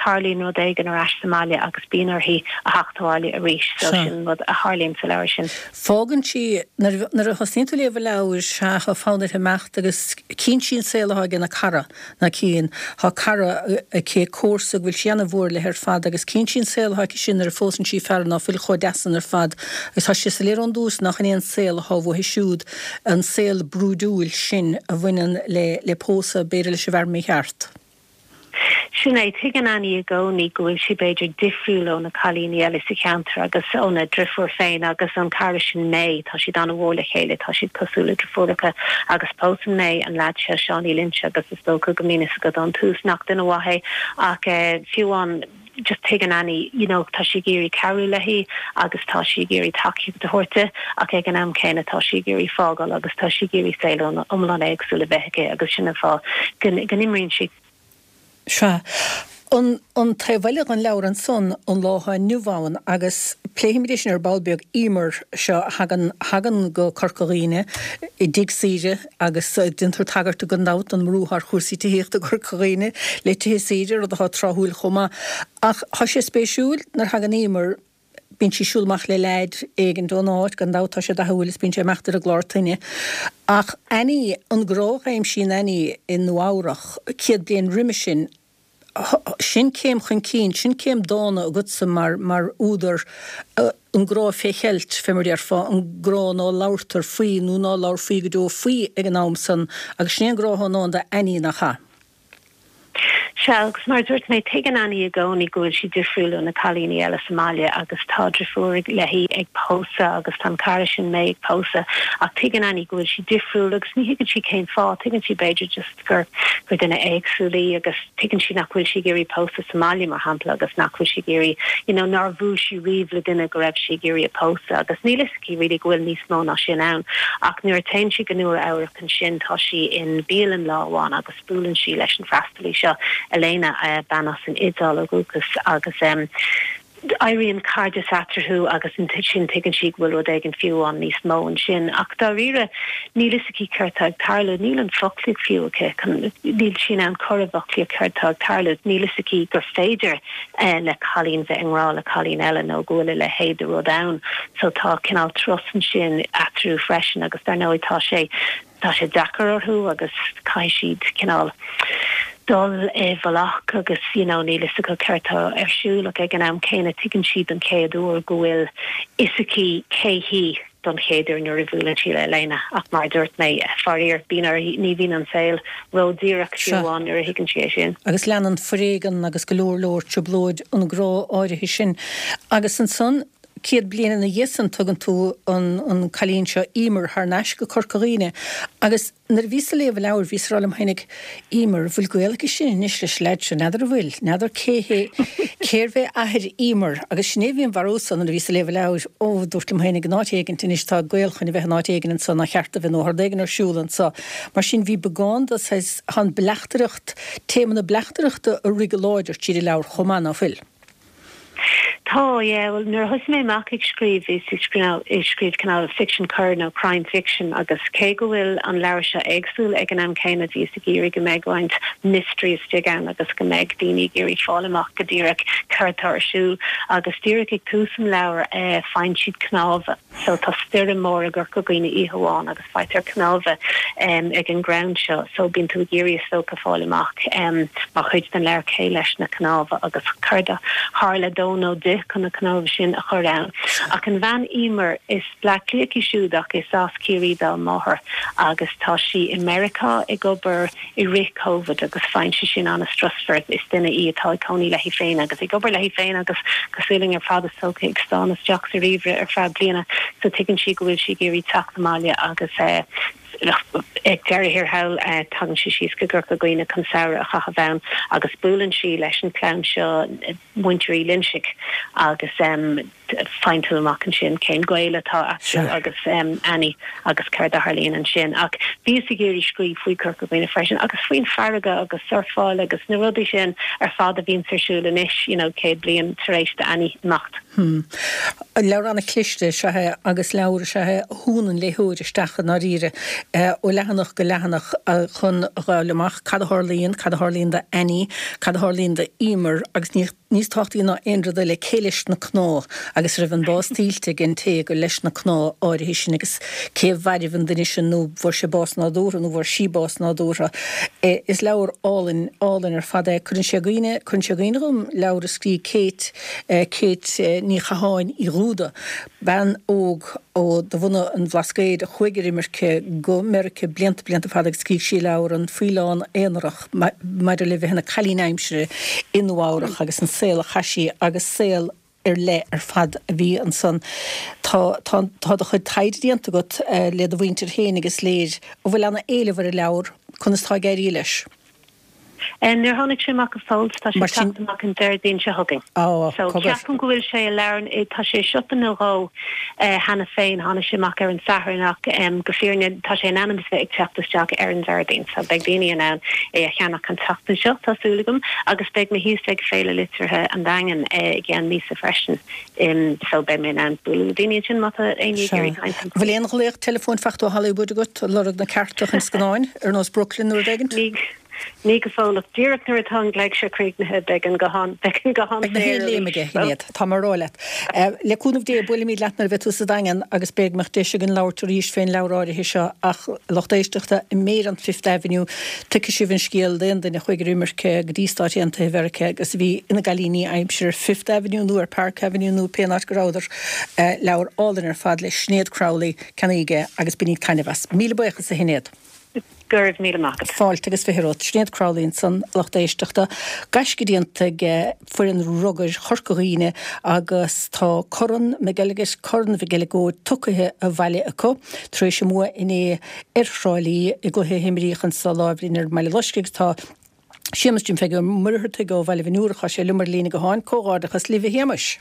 tarlaíonn rud éigin ar ais sa mbaile agus bíonn uirthi a theacht abhaile arís so sin an rud a tharlaíonn sa leabhar sin. Fágann sí, nuair a thosnaíonn tú ag léamh an leabhair, sea, tá fonn uirthi imeacht agus cíonn sí an saol atá ag a cara, ná cíonn, tá cara aici, comharsa go bhfuil sí ana-mhór léi ar fad agus cíonn sí an saol atá aici sin nuair a phósann sí fear ná fuil chomh deas san ar fad agus tá sé soiléir ón dtús nach in é an saol atá uaithi siúd, an saol brúidiúil sin a bhaineann le le pósadh, b'fhéidir leis an bhfear mícheart. Sin é, tuigeann Annie i gcónaí go bhfuil sí b'fhéidir difriúil ó na cailíní eile sa cheantar agus óna driofúr féin agus an cara sin May, tá siad an-mhór le chéile, tá siad cosúil le driofúracha agus pósann May an leaid seo, Seánie Lynch agus is dócha go mbíonn fhios agat ón tús nach duine mhaith é ach fiú amháin just tuigeann Annie you know tá sí ag iarraidh cabhrú léi agus tá sí ag iarraidh tacaíocht a thabhairt di ach ag an am céanna tá sí ag iarraidh fágáil agus tá sí ag iarraidh saol iomlán éagsúil a bheith aici agus sin an fáth go n-imríonn sí. Sea. An an taobh eile den leabhar ansan, an lá atá inniu ann, agus pléifimid é sin ar ball beag, Emer seo a thagann thagann go Corca Dhuibhne i dtigh saoire agus déantar tagairt gan dabht don mbrú atá ar chúrsaí tithíochta i gCorca Dhuibhne le tithe saoire, rud atá tráthúil chomh maith. Ach tá sé spéisiúil nuair a thagann Emer, Bíonn sí ag siúl amach le leaid éigint ón áit, gan dabht tá sé dathúil is bíonn sé ag imeacht ar an gclár toinne. Ach Annie, an grá a aimsíonn Annie i Nua Eabhrach 100 bliain roimhe sin, sin céim chun cinn, sin céim dána agatsa mar, mar údar, an grá fé cheilt, fé mar a déarfá, an grá ná labhartar faoi nó ná labharfaí go deo faoi ag an am san agus sin é an grá atá i ndán d'Annie, nach ea? Sea, agus mar a dúirt mé, tuigeann Annie i gcónaí go bhfuil sí difriúil ó na cailíní eile sa mbaile agus tá driofúr léi ag pósadh agus tá an cara sin May ag pósadh ach tuigeann Annie go bhfuil sí difriúil agus ní thuigeann sí cén fáth, tuigeann sí b'fhéidir just gur gur duine éagsúil í agus tuigeann sí nach bhfuil sí ag iarraidh pósadh sa mbaile mar shampla agus nach bhfuil sí ag iarraidh you know nár bhuail sí riamh le duine go raibh sí ag iarraidh a pósadh agus níl fhios aici really go bhfuil níos mó ná sin ann ach nuair a téann sí go Nua Eabhrac ansin tá sí in bialann lá amháin agus buaileann sí leis an freastalaí seo, Elena, bean as an Iodáil ó dhúchas, agus éiríonn cairdeas eatarthu agus ansin tuigeann sí go bhfuil rud éigin fiú amháin níos mó ansin. Ach dáiríre, níl fhios aici céard tá ag tarlú, níl an foclaíocht fiú aici, níl sí in ann cur i bhfoclaíocht céard tá ag tarlú, níl fhios aici gur féidir le cailín bheith i ngrá le cailín eile nó go bhfuil a leithéid de rud ann. So tá cineál turas ansin eatarthu freisin agus dar ndóigh tá sé. Tá sé deacair orthu agus caithfidh siad cineál dul i bhfolach agus you know níl fhios acu céard tá ar siúl ach ag an am céanna tuigeann siad don chéad uair go bhfuil fhios aici cé hí don chéad uair nuair a bhuaileann sí le Elena ach mar a dúirt mé faraor bíonn uirthi ní bhíonn an saol ró-dhíreach fiú amháin nuair a thuigeann sí é sin. Agus leanann foréigean agus go leor leor trioblóid an grá áirithe sin agus ansan 100 bliain ina dhiaidh san tugann tú an cailín seo Emer thar n-ais go Corca Dhuibhne agus nuair a bhíos ag léamh an leabhair bhíos ag rá liom fhéinig Emer, an bhfuil gaol aici sin anois leis an leaid seo, n'fheadar an bhfuil, n'fheadar cé hé, cérbh é athair Emer agus sin é a bhí im bharúlsa nuair a bhíos ag léamh an leabhair, ó, dúrt liom fhéinig in áit éigint anois tá gaol chun a bheith in áit éigin anso nár cheart a bheith nó tá rud éigin ar siúl anso. Mar sin bhí beagán de saghas, tá an bleachtaireacht, téama na bleachtaireachta ag rith go láidir tríd an leabhar chomh maith, ná fuil? Tá, yeah. Bhuel, nuair a thosaigh mé amach ag scríobh, bhíos ag scríobh cineál ficsean coir nó crime fiction agus cé go bhfuil an leabhar seo éagsúil ag an am céanna, bhíos ag iarraidh go mbeadh roinnt mystery istigh ann agus go mbeadh daoine ag iarraidh fáil amach go díreach céard atá ar siúl. Agus díreach ag tús an leabhair, faigheann siad cnámha. So tá stoirm mór i gCorca Dhuibhne oíche amháin agus faightear cnámha ag an gcrann seo. So bíonn tú ag iarraidh is dócha fáil amach mar chuid den leabhar cé leis na cnámha agus céard a tharla dó nó di chun na cnámha sin a chur ann. Ach an bhean Emer, is Bleá Cliathach í siúd ach is as Ciarraí dá máthair agus tá sí i Meiriceá ag obair i rith Covid agus faigheann sí sin an-strusmhar. Is duine í atá ag cónaí léi féin agus ag obair léi féin agus cosúil linn ar fad is dócha ag stánadh isteach sa ríomhaire ar feadh bliana so tuigeann sí go bhfuil sí ag iarraidh teacht abhaile agus ag deireadh thiar thall tagann sí síos go Corca Dhuibhne chun samhradh a chaitheamh ann agus buaileann sí leis an chlann seo muintir Uí Loinsigh agus faigheann tú amach ansin cén gaol atá eatarthu agus Annie agus céard a tharlaíonn ansin. Ach bhíos ag iarraidh scríobh faoi Chorca Dhuibhne freisin agus faoin bhfarraige agus surfáil agus na rudaí sin ar fad a bhíonns ar siúl anois, you know, 100 bliain tar éis d'Annie imeacht. Hmm. Leabhar an-chliste is ea é agus leabhar is ea é a shúnn an léitheoir isteach i ndáiríre ó leathanach go leathanach chun a fháil amach cad a tharlaíonn, cad a tharlaíonn d'Annie, cad a tharlaíonn d'Emer agus ní níos tábhachtaí ná aon rud eile, cé leis na cnámha agus an raibh an bás tuillte ag an té gur leis na cnámha áirithe sin agus cé a mhairbh an duine sin nó bhfuair sé bás nádúrtha nó bhfuair sí bás nádúrtha. Is leabhar álainn, álainn ar fad é. Cuireann sé i gcuimhne, cuireann sé i gcuimhne dhom leabhar a scrígh Kate, Kate Ní Chatháin Uí Dhúda, bean óg ó de bhunadh an Bhlascaoid a chuaigh ar imirce go Meiriceá blianta, blianta fada agus scrígh sí leabhar An Faoileán Aonarach. maidir le bheith ina cailín aimsire i Nua Eabhrach agus an saol a chaith sí agus saol ar leith ar fad a bhí ansan. Tá, tá, tá do chuid taighde déanta agat le do mhuintir féin agus is léir an bhfuil ana éileamh ar an leabhar, conas tá ag éirí leis? Níor tháinig sé amach go fóill, tá sé ag teacht amach an Déardaoin seo chugainn. So ceapaim go bhfuil sé i leabharlann, tá sé i siopa nó dhó cheana féin, tháinig sé amach ar an Satharn ach go fírinne tá sé in ainm is bheith ag teacht isteach ar an Déardaoin so beidh daoine in ann é a cheannach an tseachtain seo, tá súil agam, agus beidh mé thíos ag Féile Liteartha an Daingin i gceann míosa freisin so beidh mé in ann bualadh le daoine ansin má tá éinne ag iarraidh caint liom. Bhfuil aon ghlaoch teileafóin faighte ó Hollywood agat ag lorg na cearta chun scannáin, ar nós Brooklyn nó rud éigint? Ní go fóill, ach díreach nuair atá an glaoch seo críochnaithe, beidh an guthán, beidh an guthán Beidh na saor haon léim arís. aige, a Shinéad, tá mé ag rá leat. Le cúnamh Dé, buailfimid leat nuair a bheidh tú sa Daingean agus b'fhéidir go mbeadh deis againn labhairt arís fén leabhar áirithe seo ach, lucht éisteachta, i Méar an Fifth Avenue, tuigfidh sibh an scéal d'aon duine a chuaigh ar imirce go dtí Stáit Aontaithe Mheiriceá agus a bhí ina gcailíní aimsire ar Fifth Avenue nó ar Park Avenue nó pén áit go rabhadar. Leabhar álainn ar fad le Sinéad Crowley, ceannaígí é agus bainíg taitneamh as. Míle buíochas, a Shinéad. Go raibh míle maith agat. Fáilte agus 20 romhat. Sinéad Crowley ansan, lucht éisteachta. Gaisce déanta ag foireann rugair Chorca Dhuibhne agus tá Corn McElligott, Corn Mhic Eileagóid tugtha abhaile acu tar éis a mbua inné ar Thrá Lí i gcluiche a himríodh anso lá roimh ar an mBaile Loiscthe agus tá Séamus Jim Pheige Ó Muircheartaigh ó Bhaile Bhinn Iúrach, tá sé liom ar líne gutháin. Comhghairdeachas libh a Shéamais.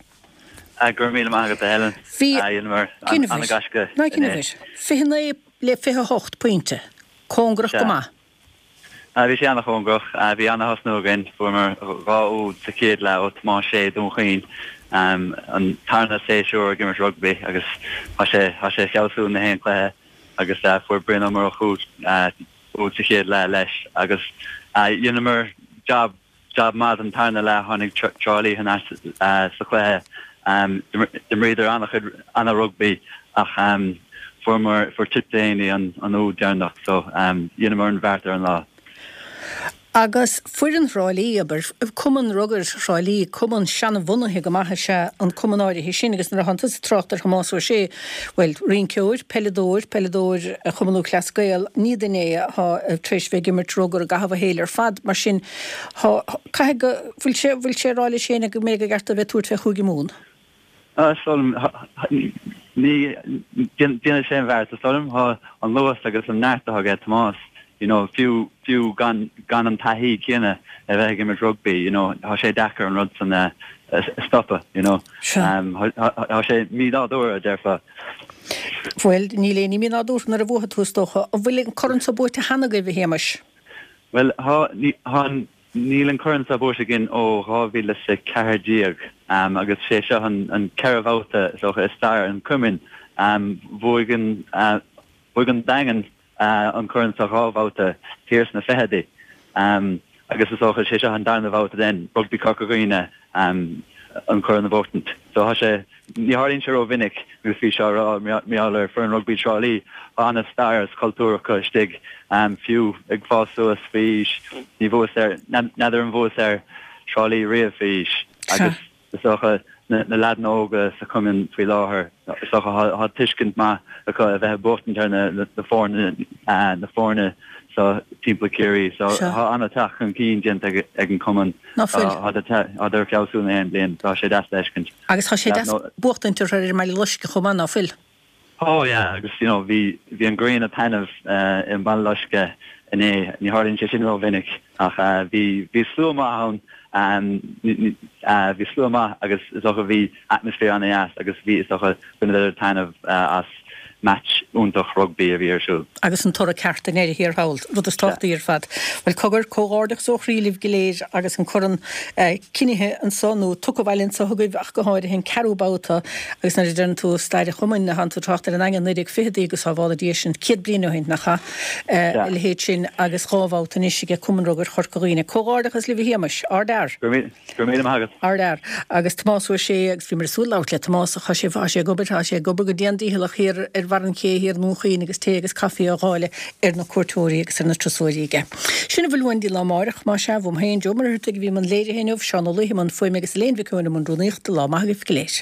Go raibh míle maith agat a Helen. Bhí, Dheineamar cinnfir, an-ghaisce ná inné. cinnfir, 29 le 28 pointe. Cóngarach go Sea. maith. Bhí sé an-chóngarach. Bhí an-thosnú againn. Fuaireamar 2 úd sa chéad leath ó Tomás Sé, Dún Chaoin, an tarna séasúr ag imirt rugbaí agus tá sé tá sé ag feabhsú na haon cluiche agus fuair Brian Ó Murchú úd sa chéad leath leis agus dheineamar jab Jab maith den tarna leath, tháinig Trá Lí thar n-ais sa chluiche. D'imríodar an-chuid, an-rugbaí ach. Fuaireamar, fuair Tip Delaney an úd deireanach so dheineamar an bheart ar an lá. Agus foireann Thrá Lí, abair, Cumann Rugair Thrá Lí, cumann seanbhunaithe go maith is ea an cumann áirithe sin agus nuair a thánn tusa ag trácht ar Thomás Ó Sé, bhuel, rinceoir, peileadóir, peileadóir Chumann Lúthchleas Gael, ní duine é atá tar éis bheith ag imirt rugar i gcaitheamh a shaoil ar fad, mar sin, thá, caithfidh go, bhfuil sé, bhfuil sé ag rá leis féin go mbeidh go gceart dó bheith ag tabhairt fé Chúige Mumhan? Is dóigh liom, ní, déanfaidh sé an bheart, is dóigh liom, tá an luas agus an neart atá aige Tomás, you know, fiú, fiú gan, gan an taithí céanna a bheith ag imirt rugbaí, you know, tá sé deacair an rud san a, a stopadh, you know. Tá sé mínádúrtha, a déarfá. Bhuel, níl aon ní mínádúrtha nuair a bhuafaidh tú, is dócha. An bhfuil an corn so buaite cheana agaibh, a Shéamais? Bhuel, tá, ní, tá an, Níl an corn seo buaite againn ó 2014 agus sé seo an ceathrú babhta is dócha i stair an chumainn. Bhuaigh an bhuaigh an Daingean an corn seo dhá bhabhta thiar sna fichidí agus is dócha sé seo an darna babhta den Rugbaí Corca Dhuibhne an corn a bhuachtaint. So tá sé, ní tharlaíonn sé ró-mhinic agus bhí sé á rá mar gheall ar foireann rugbaí Trá Lí, tá an-stair is cultúr acu istigh, fiú ag fás suas faoi aois, ní bhuas ar, n'fheadar an bhuas ar Trá Lí riamh faoi aois agus is dócha na leaideanna óga sa chumann faoi láthair, is dócha tá tuiscint maith acu a bheith ag buachtaint ar na foirne, na foirne so timpeall Ciarraí. So tá an-teacht chun cinn déanta ag an cumann. Ná fuil. Tádar ag feabhsú na haon bliain. Tá sé deas le feiscint. Agus tá sé deas buachtaint orthu ar an mBaile Loiscthe chomh maith, ná fuil? Oh yeah, agus you know bhí bhí an ghrian ag taitneamh i mBaile Loiscthe inné. Ní tharlaíonn sé sin ró-mhinic ach bhí bhí slua maith ann, bhí slua maith agus is dócha bhí atmaisféar an-dheas agus bhí is dócha bhaineadar taitneamh as match iontach rugbaí a bhí ar siúl. Agus an toradh ceart i ndeireadh thiar thall, rud is tábhachtaí ar fad. Bhuel, cogar, comhghairdeachas ó chroí libh go léir agus an corn cinnithe anso, nó tugtha abhaile anso agaibh ach go háirithe, an ceathrú babhta agus nuair a deireann tú stair an chumainn, thánn tú ag trácht ar an nDaingean 1920idí agus sábhála Dia sin 100 bliain ó shin, nach ea? A leithéid sin agus dhá bhabhta anois aige Cumann Rugair Chorca Dhuibhne. Comhghairdeachas libh a Shéamais. Ardfhear. Go raibh Go raibh míle maith agat. Ardfhear. Agus Tomás Ó Sé, agus bhíomar ag súil labhairt le Tomás ach tá sé, tá sé ag obair, tá sé ag obair go dian dícheallach thiar ar bharr an ché thiar i nDún Chaoin agus tae agus caife á dháileadh ar na cuairteoirí agus ar na turasóirí aige. Sin a bhfuil uainn go dtí lá amárach, más ea, uaim féin, Joe Ó Muircheartaigh a bhí i mbun léirithe inniu, Seán Ó Laoithe i mbun fuaime agus Elaine Mhic Eoin i mbun rúnaíochta. Lá maith agaibh go léir.